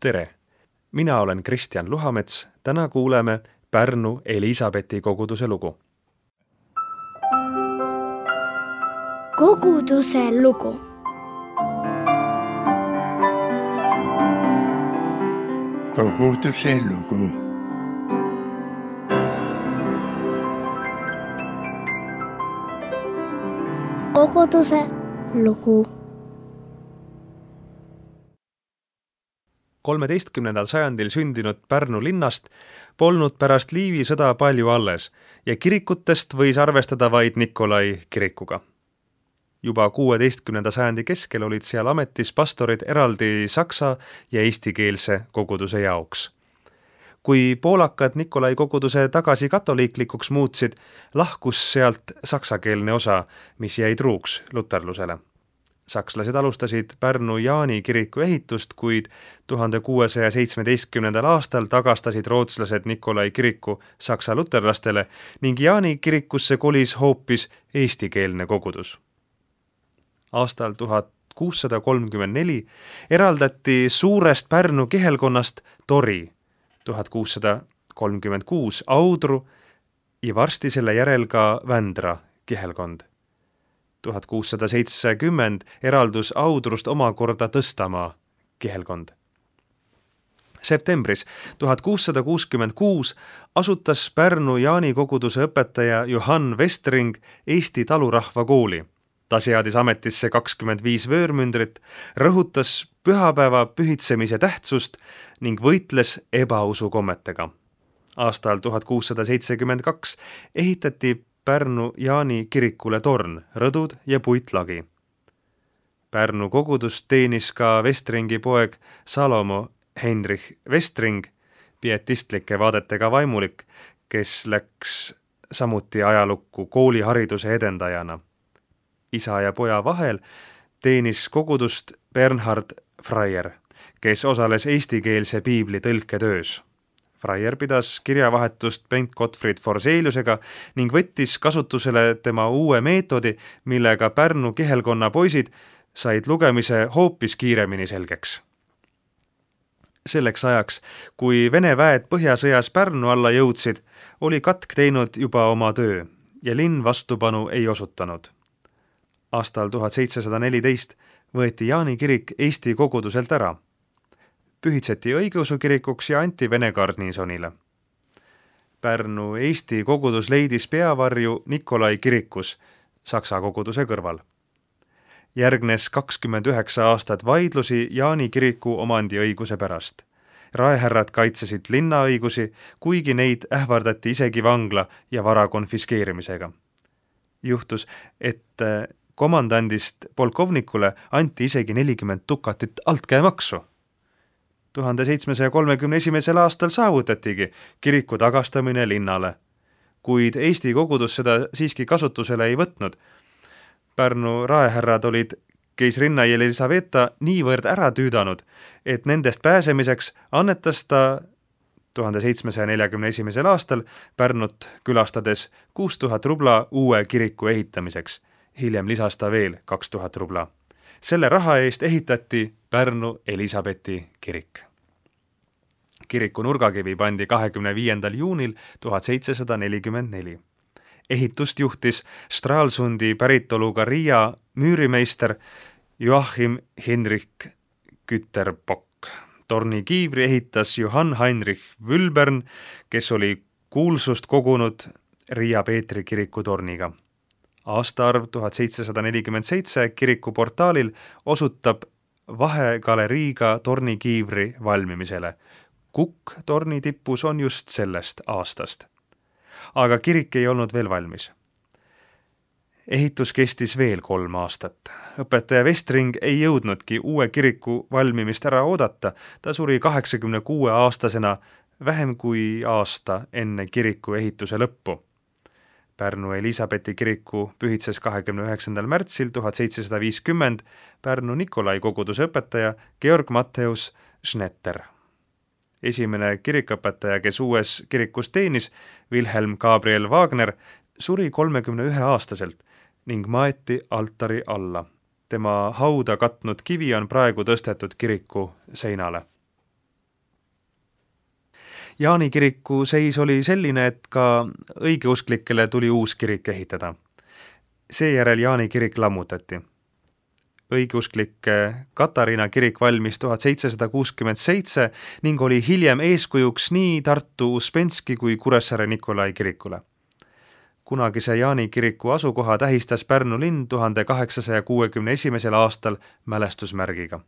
Tere! Mina olen Kristjan Luhamets. Täna kuuleme Pärnu Elisabethi koguduse lugu. Koguduse lugu. Koguduse lugu. Koguduse lugu. 13. sajandil sündinud Pärnu linnast polnud pärast Liivi sõda palju alles ja kirikutest võis arvestada vaid Nikolai kirikuga. Juba 16. sajandi keskel olid seal ametis pastorid eraldi saksa ja eestikeelse koguduse jaoks. Kui poolakad Nikolai koguduse tagasi katoliiklikuks muutsid, lahkus sealt saksakeelne osa, mis jäi truuks luterlusele. Sakslased alustasid Pärnu Jaani kiriku ehitust, kuid 1617. aastal tagastasid rootslased Nikolai kiriku saksa luterlastele ning Jaani kirikusse kolis hoopis eestikeelne kogudus. Aastal 1634 eraldati suurest Pärnu kihelkonnast Tori, 1636 Audru ja varsti selle järel ka Vändra kihelkond. 1670 eraldus Audrust omakorda Tõstamaa kihelkond. Septembris 1666 asutas Pärnu Jaani koguduse õpetaja Johann Vestring Eesti talurahva kooli. Ta seadis ametisse 25 vöörmündrit, rõhutas pühapäeva pühitsemise tähtsust ning võitles ebausukommetega. Aastal 1672 ehitati Pärnu Jaani kirikule torn, rõdud ja puitlagi. Pärnu kogudust teenis ka Vestringi poeg Salomo Heinrich Vestring, pietistlike vaadetega vaimulik, kes läks samuti ajalukku koolihariduse edendajana. Isa ja poja vahel teenis kogudust Bernhard Freier, kes osales eestikeelse piibli tõlketöös. Freier pidas kirjavahetust Bengt Gottfried Forseliusega ning võttis kasutusele tema uue meetodi, millega Pärnu kihelkonna poisid said lugemise hoopis kiiremini selgeks. Selleks ajaks, kui Vene väed põhjasõjas Pärnu alla jõudsid, oli katk teinud juba oma töö ja linn vastupanu ei osutanud. Aastal 1714 võeti Jaani kirik Eesti koguduselt ära. Pühitseti õigeusu kirikuks ja anti Vene garnisonile. Pärnu Eesti kogudus leidis peavarju Nikolai kirikus saksa koguduse kõrval. Järgnes 29 aastat vaidlusi Jaani kiriku omandiõiguse pärast. Raehärrad kaitsesid linnaõigusi, kuigi neid ähvardati isegi vangla ja vara konfiskeerimisega. Juhtus, et komandandist polkovnikule anti isegi 40 dukatit altkäemaksu. 1731. aastal saavutatigi kiriku tagastamine linnale, kuid Eesti kogudus seda siiski kasutusele ei võtnud. Pärnu raehärrad olid keisrinna Jelisaveta niivõrd ära tüüdanud, et nendest pääsemiseks annetas ta 1741. aastal Pärnut külastades 6000 rubla uue kiriku ehitamiseks. Hiljem lisas ta veel 2000 rubla. Selle raha eest ehitati Pärnu Elisabethi kirik. Kiriku nurgakivi pandi 25. juunil 1744. Ehitust juhtis Stralsundi päritoluga Riia müürimeister Joachim Henrik Güterbock. Torni kiivri ehitas Johann Heinrich Wülbern, kes oli kuulsust kogunud Riia Peetri kiriku torniga. Aastaarv 1747 kiriku portaalil osutab vahegaleriiga tornikiivri valmimisele. Kukk torni tipus on just sellest aastast. Aga kirik ei olnud veel valmis. Ehitus kestis veel 3 aastat. Õpetaja Vestring ei jõudnudki uue kiriku valmimist ära oodata. Ta suri 86 aastasena vähem kui aasta enne kiriku ehituse lõppu. Pärnu Elisabethi kiriku pühitses 29. märtsil 1750 Pärnu Nikolai koguduse õpetaja Georg Matthäus Schnetter. Esimene kirikõpetaja, kes uues kirikus teenis, Wilhelm Gabriel Wagner, suri 31-aastaselt ning maeti altari alla. Tema hauda katnud kivi on praegu tõstetud kiriku seinale. Jaani kiriku seis oli selline, et ka õigeusklikele tuli uus kirik ehitada. Seejärel Jaani kirik lammutati. Õigeusklik Katariina kirik valmis 1767 ning oli hiljem eeskujuks nii Tartu Uspenski kui Kuressaare Nikolai kirikule. Kunagise Jaani kiriku asukoha tähistas Pärnu linn 1861. aastal mälestusmärgiga.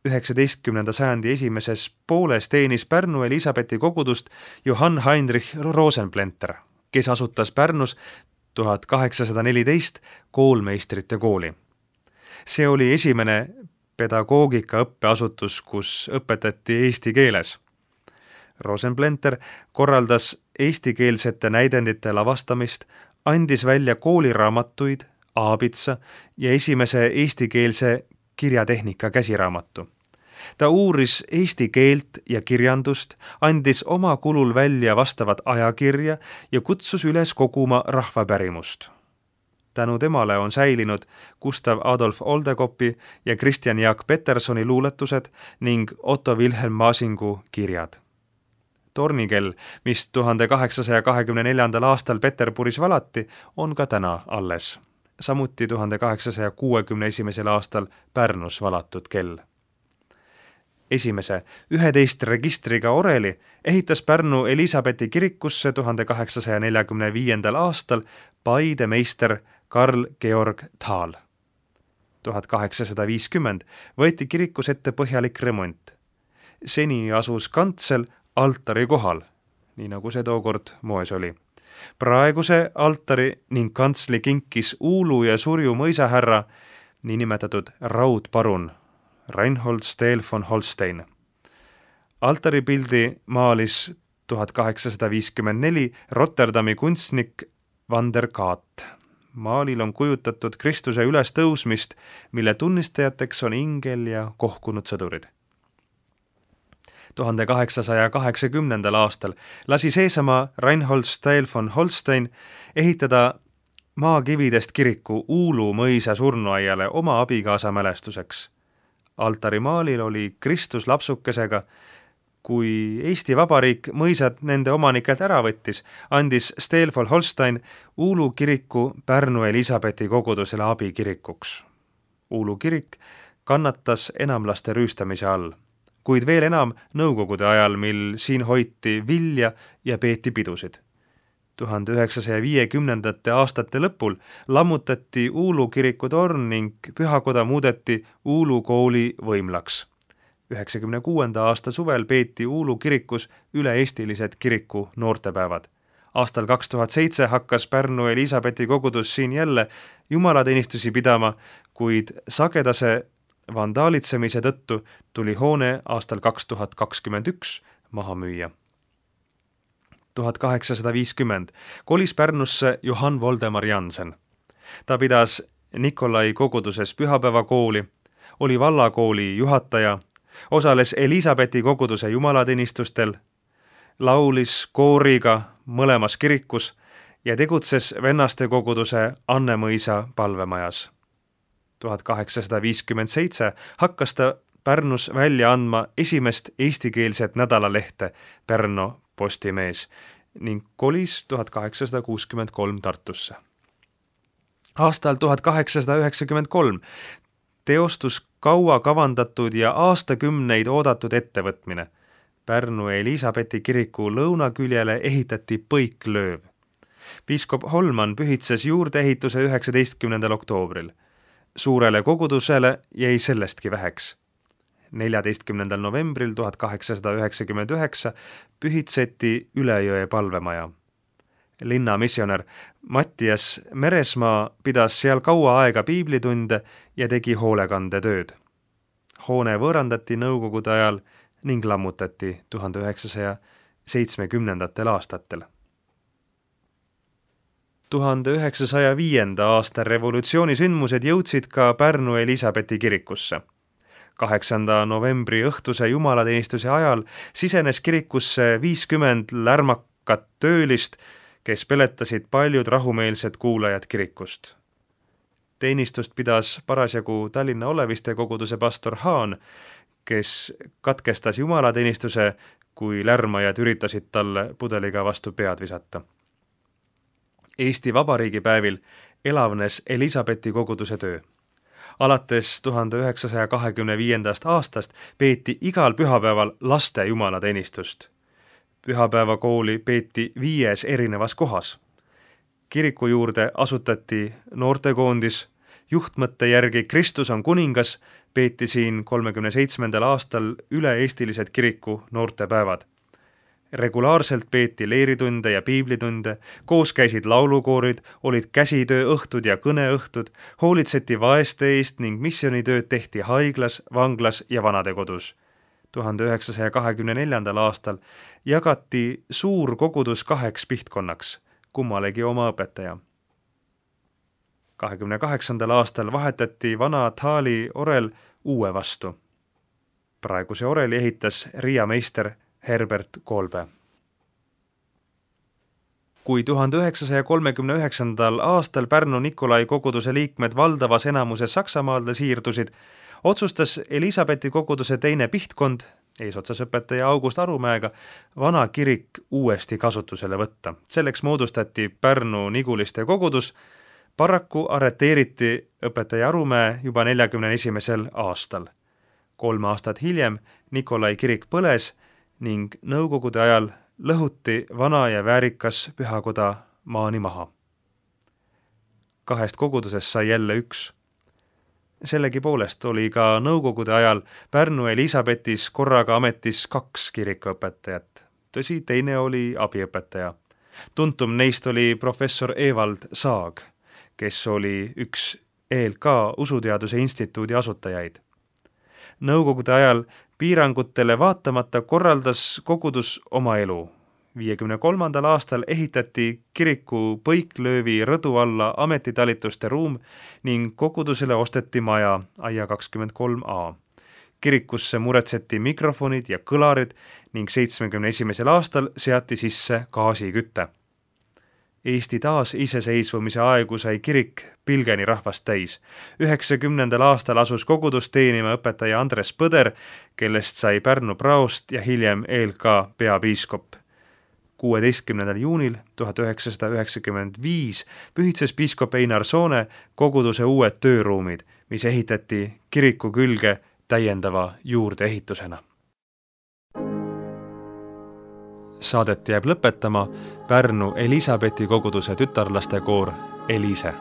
19. sajandi esimeses pooles teenis Pärnu Elisabethi kogudust Johann Heinrich Rosenplanter, kes asutas Pärnus 1814 koolmeistrite kooli. See oli esimene pedagoogika õppeasutus, kus õpetati eesti keeles. Rosenplanter korraldas eestikeelsete näidendite lavastamist, andis välja kooliraamatuid, aabitsa ja esimese eestikeelse kirjatehnika käsiraamatu. Ta uuris eesti keelt ja kirjandust, andis oma kulul välja vastavat ajakirja ja kutsus üles koguma rahvapärimust. Tänu temale on säilinud Gustav Adolf Oldekopi ja Christian Jaak Petersoni luuletused ning Otto Wilhelm Maasingu kirjad. Tornikell, mis 1824. aastal Peterburis valati, on ka täna alles. Samuti 1861. aastal Pärnus valatud kell. Esimese 11 registriga oreli ehitas Pärnu Elisabethi kirikusse 1845. aastal Paide meister Karl Georg Thal. 1850 võeti kirikus ette põhjalik remont. Seni asus kantsel altari kohal, nii nagu see tookord moes oli. Praeguse altari ning kantsli kinkis Uulu ja Surju mõisahärra, niinimetatud raudparun Reinhold Steel von Holstein. Altaripildi maalis 1854 Rotterdami kunstnik Van der Kaat. Maalil on kujutatud Kristuse ülestõusmist, mille tunnistajateks on ingel ja kohkunud sõdurid. 1880. aastal lasi seesama Reinhold Steel von Holstein ehitada maakividest kiriku Uulu mõisa surnuaiale oma abikaasa mälestuseks. Altarimaalil oli Kristus lapsukesega. Kui Eesti Vabariik mõisad nende omanikelt ära võttis, andis Steel von Holstein Uulu kiriku Pärnu Elisabethi kogudusele abikirikuks. Uulu kirik kannatas enamlaste rüüstamise all, kuid veel enam nõukogude ajal, mil siin hoiti vilja ja peeti pidusid. 1950. aastate lõpul lammutati Uulu kiriku torn ning pühakoda muudeti Uulu kooli võimlaks. 1996. aasta suvel peeti Uulu kirikus üle-eestilised kiriku noortepäevad. Aastal 2007 hakkas Pärnu Elisabethi kogudus siin jälle jumalateenistusi pidama, kuid sagedase vandaalitsemise tõttu tuli hoone aastal 2021 maha müüa. 1850 kolis Pärnusse Johann Voldemar Jansen. Ta pidas Nikolai koguduses pühapäevakooli, oli vallakooli juhataja, osales Elisabethi koguduse jumalateenistustel, laulis kooriga mõlemas kirikus ja tegutses vennaste koguduse Annemõisa palvemajas. 1857 hakkas ta Pärnus välja andma esimest eestikeelset nädalalehte Pärnu Postimees ning kolis 1863 Tartusse. Aastal 1893 teostus kaua kavandatud ja aastakümneid oodatud ettevõtmine. Pärnu Elisabethi kiriku lõunaküljele ehitati põiklööv. Piiskop Holman pühitses juurdeehituse 19. oktoobril. Suurele kogudusele jäi sellestki väheks. 14. novembril 1899 pühitseti Ülejõe palvemaja. Linna missionär Mattias Meresmaa pidas seal kaua aega piiblitunde ja tegi hoolekandetööd. Hoone võõrandati nõukogude ajal ning lammutati 1970. aastatel. 1905. aasta revolutsioonisündmused jõudsid ka Pärnu Elisabethi kirikusse. 8. novembri õhtuse jumalateenistuse ajal sisenes kirikusse 50 lärmakat töölist, kes peletasid paljud rahumeelsed kuulajad kirikust. Teenistust pidas parasjagu Tallinna Oleviste koguduse pastor Haan, kes katkestas jumalateenistuse, kui lärmajad üritasid talle pudeliga vastu pead visata. Eesti Vabariigi päevil elavnes Elisabethi koguduse töö. Alates 1925. aastast peeti igal pühapäeval laste jumalateenistust. Pühapäevakooli peeti 5 erinevas kohas. Kiriku juurde asutati noortekoondis, juhtmõtte järgi Kristus on kuningas, peeti siin 37. aastal üle-eestilised kiriku noortepäevad. Regulaarselt peeti leeritunde ja piiblitunde, koos käisid laulukoorid, olid käsitööõhtud ja kõneõhtud, hoolitseti vaeste eest ning missionitööd tehti haiglas, vanglas ja vanadekodus. 1924. aastal jagati suur kogudus 2 pihtkonnaks, kummalegi oma õpetaja. 28. aastal vahetati vana Thaali orel uue vastu. Praeguse oreli ehitas Riia meister Herbert Kolbe. Kui 1939. aastal Pärnu Nikolai koguduse liikmed valdavas enamuses Saksamaale siirdusid, otsustas Elisabethi koguduse teine pihtkond, eesotsas õpetaja August Arumäega, vana kirik uuesti kasutusele võtta. Selleks moodustati Pärnu Niguliste kogudus. Paraku arreteeriti õpetaja Arumäe juba 41. aastal. 3 aastat hiljem Nikolai kirik põles ning nõukogude ajal lõhuti vana ja väärikas pühakoda maani maha. 2 kogudusest sai jälle 1. Sellegipoolest oli ka nõukogude ajal Pärnu Elisabethis korraga ametis 2 kirikuõpetajat. Tõsi, teine oli abiõpetaja. Tuntum neist oli professor Evald Saag, kes oli üks ELK usuteaduse instituudi asutajaid. Nõukogude ajal piirangutele vaatamata korraldas kogudus oma elu. 53. aastal ehitati kiriku Põiklöövi rõdu alla ametitalituste ruum ning kogudusele osteti maja aia 23a. Kirikusse muretseti mikrofonid ja kõlarid ning 71. aastal seati sisse gaasiküte. Eesti taas iseseisvumise aegu sai kirik pilgeni rahvast täis. 90. aastal asus kogudus teenima õpetaja Andres Põder, kellest sai Pärnu praost ja hiljem ELK peapiiskop. 16. juunil 1995 pühitses piiskop Einar Soone koguduse uued tööruumid, mis ehitati kiriku külge täiendava juurdeehitusena. Saadet jääb lõpetama Pärnu Elisabethi koguduse tütarlaste koor Elise.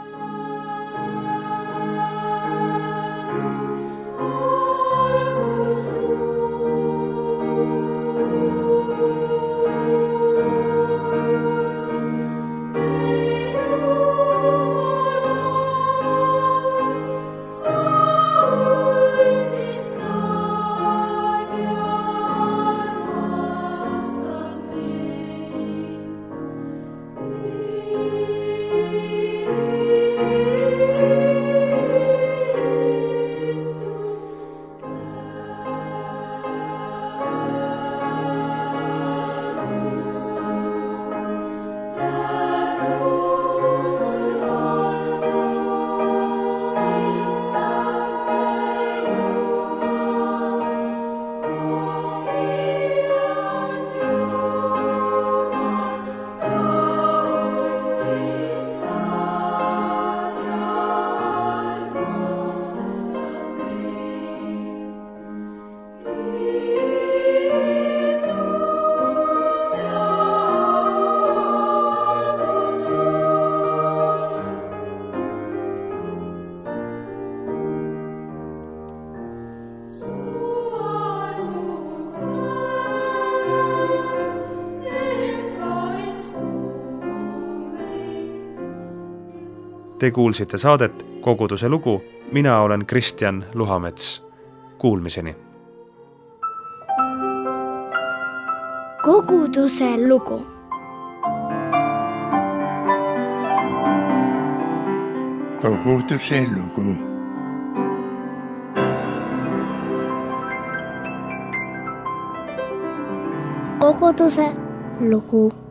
Te kuulsite saadet Koguduse lugu, mina olen Kristjan Luhamets. Kuulmiseni! Koguduse lugu. Koguduse lugu. Koguduse lugu.